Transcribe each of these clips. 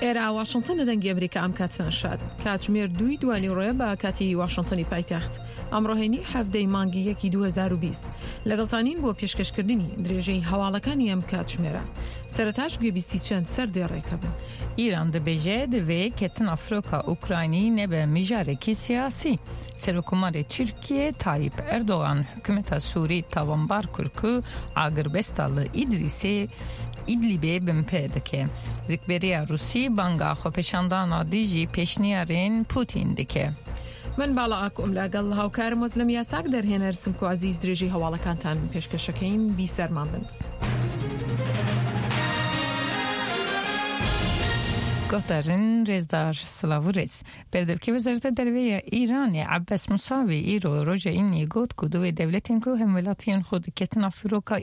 ئێرە واشنتن لە دەنگی ئەمریکا ئەم کاتتان شاد. کاتژمێر دووی دوانیوڕۆیە بە کاتی واشنتنی پایتەخت. ئەمڕۆ هەینی حەڤدەی مانگی یەکی 2020. لەگەڵتانین بۆ پێشکەشکردنی درێژەی هەواڵەکانی ئەم کاتژمێرە. سەرەتاش گوێبیستی چەند سەردێڕێکە بن. ئیران دبێژێ دڤێ کەتنا فرۆکا ئوکراینی نەبە میژارێکی سیاسی. سەرۆککۆمارێ تورکیە تاییپ ئەردۆغان حکومەتا سوری تاوانبار کر ku agirbesta li Îdrîsê Îdlîbê binpê dike. Rikberiya Rûsî banga xwepêşandana dijî pêşniyarên Pûtîn dike. من باڵا ئاکۆم لەگەڵ هاوکارم وەزلم یاساک دەرهێنەر سمکۆ عەزیز درێژەی هەواڵەکانتان پێشکەشەکەین بیسەرمان بن. Guhdarên rêzdar silav û rêz. Berdevkê Wezareta Derve ya Îranê Ebbas Musavî îro roja Îniyê got ku divê dewletên ku hemwelatiyên xwe di ketina firoka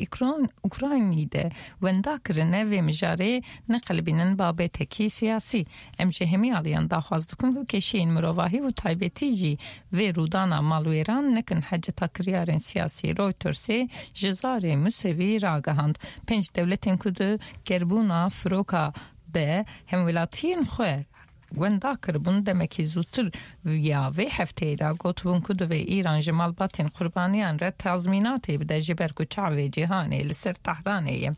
Ukraynî de wenda kirine vê mijarê neqelibînin babetekî siyasî. Em ji hemî aliyan daxwaz dikin ku kêşeyên mirovahî û taybetî jî vê rûdana malwêran nekin heceta kiryarên siyasî Reutersê ji zarê Musevî ragihand. Pênc dewletên ku di gerbûna firoka de hemwelatiyên xwe wenda kiribûn demekî zûtir ya vê hefteyê de gotibûn ku divê Îran ji malbatên qurbaniyan re tazmînatê bide ji ber ku çavê cîhanê li ser Tehranê ye.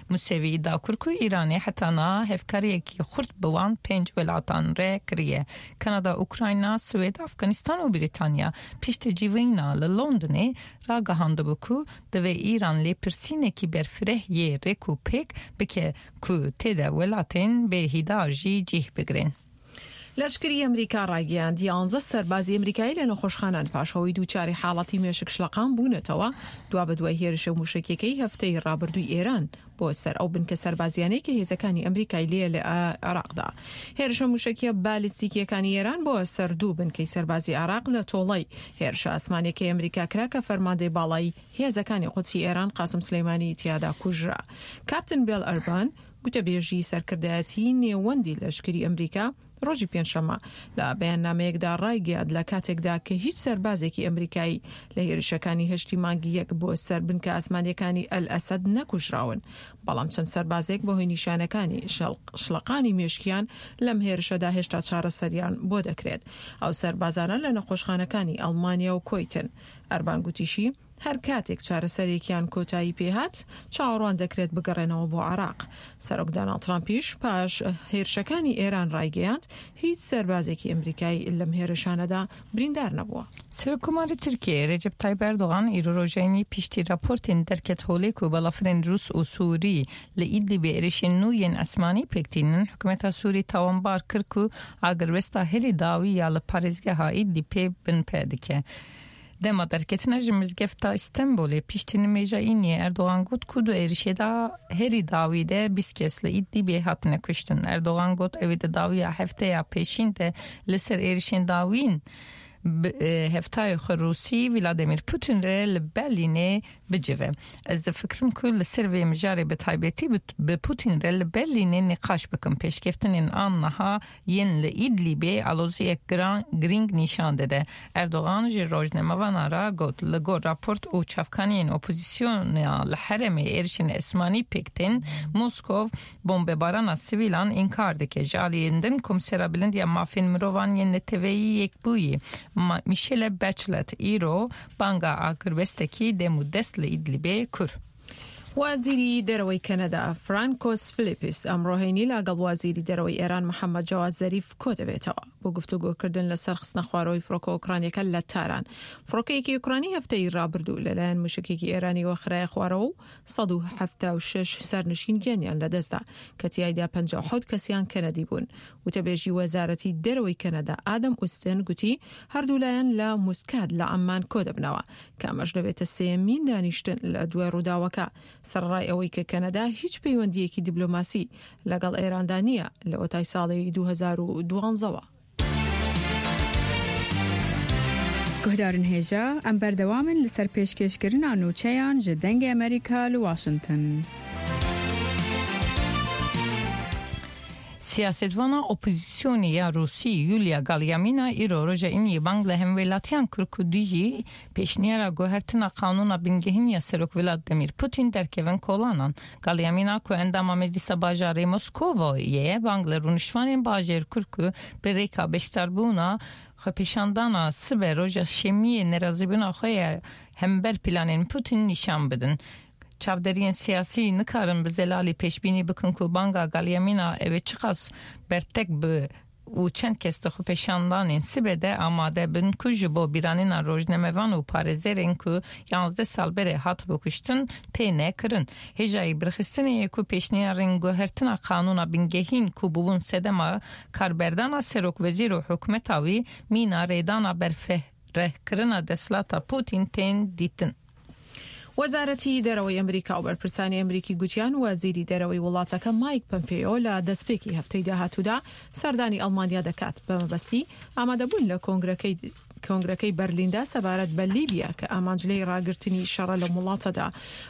Musevî îdia kir ku Îranê heta niha hevkariyekî xurt bi wan pênc welatan re kiriye, Kanada, Ukrayna, Swêd, Afganistan û Brîtanya. Piştî civîna li Londonê ragihandibû ku divê Îran lêpirsînekî berfireh yê rêk û pêk bike ku tê de welatên bêhîdar jî cih bigirin. لەشکری ئەمریکا ڕایگەیاند، یانزە سەربازی ئەمریکایی لە نەخۆشخانەن پاش ئەوەی دووچاری حاڵەتی مێشک شڵەقان بوونەتەوە دوابەدوای هێرشە مووشەکیەکەی هەفتەی ڕابردووی ئێران بۆ سەر ئەو بنکە سەربازیانەی کە هێزەکانی ئەمریکای لێیە لە عێراقدا. هێرشە مووشەکیە بالیستیکیەکانی ئێران بۆ سەر دوو بنکەی سەربازی عێراق لە تۆڵەی هێرشە ئاسمانیەکەی ئەمریکا کرا کە فەرماندەی باڵای هێزەکانی قودسی ئێران قاسم سلەیمانی تیادا کوژرا. کاپتن بێل ئەربان، گوتەبێژی سەرکردایەتیی نێوەندی لەشکری ئەمریکا ڕۆژی پێنجشەممە لە بەیاننامەیەکدا ڕایگەیاند لە کاتێکدا کە هیچ سەربازێکی ئەمریکایی لە هێرشەکانی هەشتی مانگی یەک بۆ سەر بنکە ئاسمانییەکانی ئەلئەسەد نەکوژراون بەڵام چەند سەربازێک بەهۆی نیشانەکانی شڵەقانی مێشکیان لەم هێرشەدا هێشتا چارەسەریان بۆ دەکرێت. ئەو سەربازانە لە نەخۆشخانەکانی ئەڵمانیا و کۆیتن. ئەربان گوتیشی، هەر کاتێک چارەسەرێکیان کۆتایی پێهات، چاوەڕوان دەکرێت بگەڕێنەوە بۆ عێراق. سەرۆک داناڵد ترامپیش پاش هێرشەکانی ئێران ڕایگەیاند، هیچ سەربازێکی ئەمریکایی لەم هێرشانەدا بریندار نەبووە. سەرۆککۆماری Tirkiyeyê Recep Tayyip Erdogan îro roja Înî piştî raportên derket holê ku balafirên Rûs û Sûrî li Îdlîbê êrişên nû yên esmanî pêk tînin, hikûmeta Sûrî tawanbar kir ku agirbesta herî dawî ya li parêzgeha Îdlîbê binpe dike. Dema derketina ji mizgefta Îstenbolê piştî nimêja Îniyê Erdogan got ku di êrişê de herî dawî de 20 kes li Îdlîbê hatine kuştin. Erdogan got ew ê di dawiya hefteya pêşîn de li ser êrişên dawîn bi hevtayê xwe Rûsî Vladimir Putin re li Berlînê bicive. Ez difikirim ku li ser vê mijarê bi taybetî bi Putin re li Berlînê nîqaş bikim. Pêşkeftinên an niha yên li Îdlîbê aloziyek giran girîng nîşan dide. Erdogan ji rojnamevanan re got, Li gor raport û çavkaniyên opozîsyona li herêmê êrişên esmanî pêk tên, Moskov bombebarana sivîlan înkar dike. Ji aliyên din Komîsera Bilind ya Mafên Mirovan yên Neteweyî Yekbûyî Michelle Bachelet îro banga agirbestekî dem û dest li Îdlîbê kur. وەزیری دەرەوەی کەنەدا فرانکۆس فلیپیس ئەمڕۆ هەینی لەگەڵ وەزیری دەرەوەی ئێران محەممەد جەواد زەریف کۆدەبێتەوە بۆ گفتوگۆکردن لەسەر خستنەخوارەوەی فڕۆکە ئۆکرانیەکە لە تاران. فڕۆکەیەکی ئۆکرانی هەفتەی رابردوو لەلایەن موشەکێکی ئێرانیەوە خرایە خوارەوە و 176 سەرنشین گیانیان لەدەستدا کە تیایدا 57 کەسیان کەنەدی بوون. وتەبێژی وەزارەتی دەرەوەی کەنەدا ئادەم ئوستن گوتی هەردوولایەن لە موسکات لە عەممان کۆدەبنەوە کە ئەمەش دەبێتە سێیەمین دانیشتن لە دوای ڕووداوەکە، سەرەڕای ئەوەی کە کەنەدا هیچ پەیوەندییەکی دیبلۆماسی لەگەڵ ئێراندا نییە لەوەتای ساڵی 2012 وە. Guhdarên hêja, em berdewam in li ser pêşkêşkirina nûçeyan ji Dengê Amerîka li Washington. Siyasetvana opozîsyonê ya Rûsî Yulia Galyamina îro roja Îniyê bang li hemwelatiyan kir ku dijî pêşniyara guhertina qanûna bingehîn ya Serok Vladimir Putin derkevin kolanan. Galyamina ku endama Meclisa Bajarê Moskovo ye bang li rûniştvanên bajêr kir ku bi rêka beşdarbûna xwepêşandana sibe roja Şemiyê nerazîbûna xwe ya hember planên Putin nîşan bidin. Çavderiyên siyasî nikarin bi zelalî pêşbînî bikin ku banga Galyamina ew ê çiqas bertek bi û çend kes di xwepêşandanên sibe de amade bin ku ji bo bîranîna rojnamevan û parêzerên ku 11 sal berê hatibû kuştin têne kirin. Hêjayî birxistinê ye ku pêşniyarên guhertina qanûna bingehîn ku bûbûn sedema karberdana serokwezîr û hikûmeta wî mîna rêdana berfirehkirina desthilata Putin tên dîtin. وەزارەتی دەرەوەی ئەمریکا و بەرپرسانی ئەمریکی گوتیان وەزیری دەرەوەی وڵاتەکە مایک پەمپێیۆ لە دەستپێکی هەفتەی داهاتوودا سەردانی ئەڵمانیا دەکات بە مەبەستی ئامادەبوون لە کۆنگرەکەی کۆنگرەکەی بەرلیندا سەبارەت بە لیبیا کە ئامانج لێی ڕاگرتنی شەڕە لەم وڵاتەدا.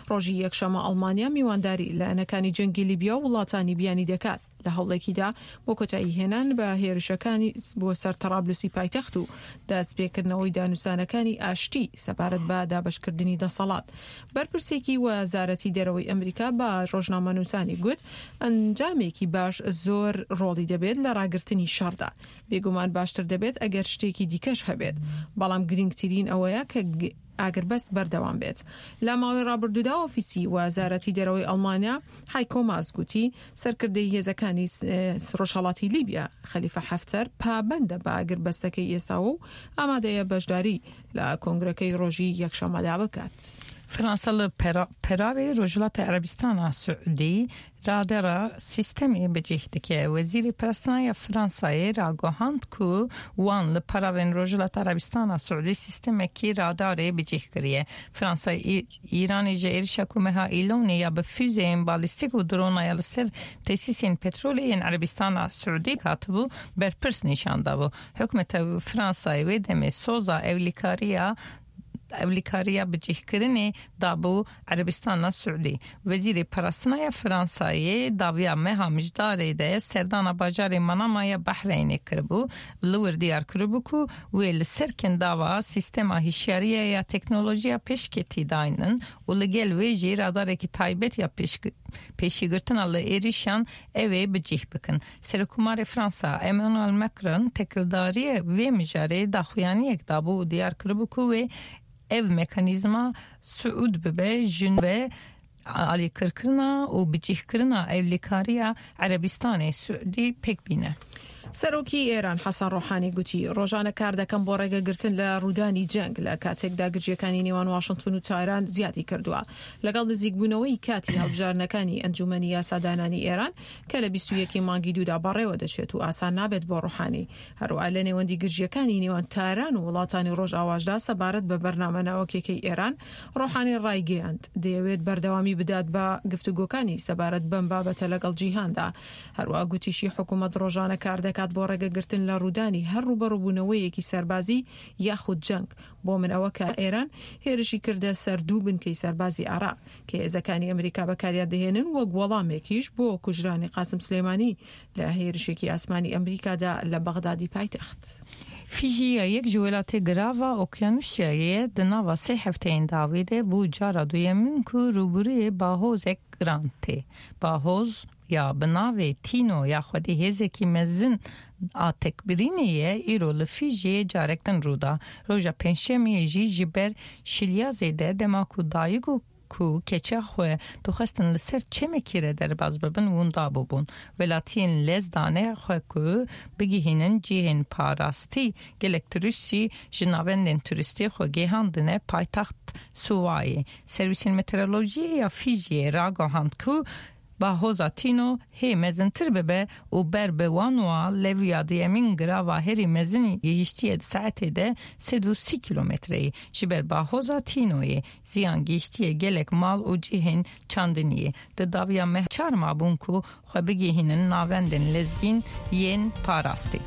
ڕۆژی یەکشەممە ئەڵمانیا میوانداری لایەنەکانی جەنگی لیبیا و وڵاتانی بیانی دەکات. لە هەوڵێکیدا بۆ کۆتایی هێنان بە هێرشەکانی بۆ سەر تەڕابلوسی پایتەخت و دەستپێکردنەوەی دانوسانەکانی ئاشتی سەبارەت بە دابەشکردنی دەسەڵات. بەرپرسێکی وەزارەتی دەرەوەی ئەمریکا بە ڕۆژنامەنووسانی گوت، ئەنجامێکی باش زۆر ڕۆڵی دەبێت لە ڕاگرتنی شەڕدا. بێگومان باشتر دەبێت ئەگەر شتێکی دیکەش هەبێت، بەڵام گرنگترین ئەوەیە کە ئاگربەست بەردەوام بێت. لە ماوەی ڕابردوودا ئۆفیسی وەزارەتی دەرەوەی ئەڵمانیا هایکۆ ماس گوتی، سەرکردەی هێزەکانی ڕۆژهەڵاتی لیبیا خەلیفە حەفتەر پابەندە بە ئاگربەستەکەی ئێستاوە و ئامادەیە بەشداری لە کۆنگرەکەی ڕۆژی یەکشەممەدا بکات. فەرەنسا لە پەراوی ڕۆژهەڵاتی عەرەبستانا سعودی رادەرا سیستەمê bi cih dike. Wezîrê Parastina ya Fransayê ragihand ku wan li peravên Rojhilata Erebistana Siûdî sîstemekî radarê bi cih kiriye. Fransa Îranê ji êrişa ku meha Îlonê ya bi fûzeyên balîstîk û drona ya li ser tesîsên petrolê yên Erebistana Siûdî hatibû berpirs nîşan dabû. Hikûmeta Fransayê wê demê soza ewlîkariya ewlîkariya bicihkirinê dabû Erebistana Siûdî. Wezîrê Parastina ya Fransayê dawiya meha Mijdarê de serdana bajarê Manama ya Behreynê kiribû. Li wir diyar kiribû ku wê li ser kendava sîstema hişyariye ya teknolojiya pêşketî daynin û li gel wê jî radarekî taybet ya pêşîgirtina li êrişan ew ê bi cih bikin. Serokkomarê Fransa Emmanuel Macron têkildariyê vê mijarê daxuyaniyek dabû û diyar kiribû ku wê ev mekanîzma siûd bibe ji ve alîkirkirina û bicihkirina ewlîkariya Erebistanê Siûdî pêk bîne. سەرۆکی ئێران حەسەن ڕۆحانی گوتی، ڕۆژانە کار دەکەم بۆ ڕێگەگرتن لە ڕوودانی جەنگ لە کاتێکدا گرژییەکانی نێوان واشنتن و تاران زیادی کردووە لەگەڵ نزیکبوونەوەی کاتی هەڵبژاردنەکانی ئەنجوومەنی یاسادانانی ئێران کە لە 21 مانگی دوودا بەڕێوە دەچێت و ئاسان نابێت بۆ ڕۆحانی هەروەها لە نێوەندی گرژییەکانی نێوان تاران و وڵاتانی ڕۆژئاواشدا سەبارەت بە بەرنامە ناوەکیەکەی ئێران، ڕۆحانی ڕایگەیاند، دەیەوێت بەردەوامی بدات بە گفتوگۆکانی سەبارەت بەم بابەتە لەگەڵ جیهاندا. هەروەها گوتیشی حکومەت ڕۆژانە کاردەکات بۆ ڕێگەگرتن لە ڕوودانی هەر ڕووبەڕووبوونەوەیەکی سەربازی یاخود جەنگ. بۆ من ئەوە کە ئێران هێرشی کردە سەر دوو بنکەی سەربازی عێراق کە هێزەکانی ئەمریکا بەکاریان دەهێنن وەک وەڵامێکیش بۆ کوژرانی قاسم سلێمانی لە هێرشێکی ئاسمانی ئەمریکادا لە بەغدادی پایتەخت. فیجی ya yek ji welatê girava Okyanûsyayê ye di nava sê hefteyên dawî de bû cara duyemîn ku rûbirûyê bahozek giran tê. Bahoz ya bi navê Tîno ya xwedî hêzekî mezin a tekbirînê ye îro li Fîjiyê carek din rû da. Roja pêncşemiyê jî ji ber şiliya zêde dema ku dayik û ku keça xwe dixwestin li ser çemekî re derbas bibin winda bûbûn. Welatiyên lez dane xwe ku bigihînin cihên parastî gelek turîst jî ji navendên turîstî xwe gihandine paytext Suwayê. Serwîsên meteorolojiyê ya Fîjiyê ragihand ku Bahoza Tîno hê mezintir bibe û ber bi Wanûa leviya duyemîn girava herî mezin gihîştiye di saetê de 130 kîlometreyî. Ji ber bahoza Tînoyê ziyan gihîştiye gelek mal û cihên çandiniyê. Di dawiya meh çar mabûn ku xwe bigihînin navendên lezgîn yên parastî.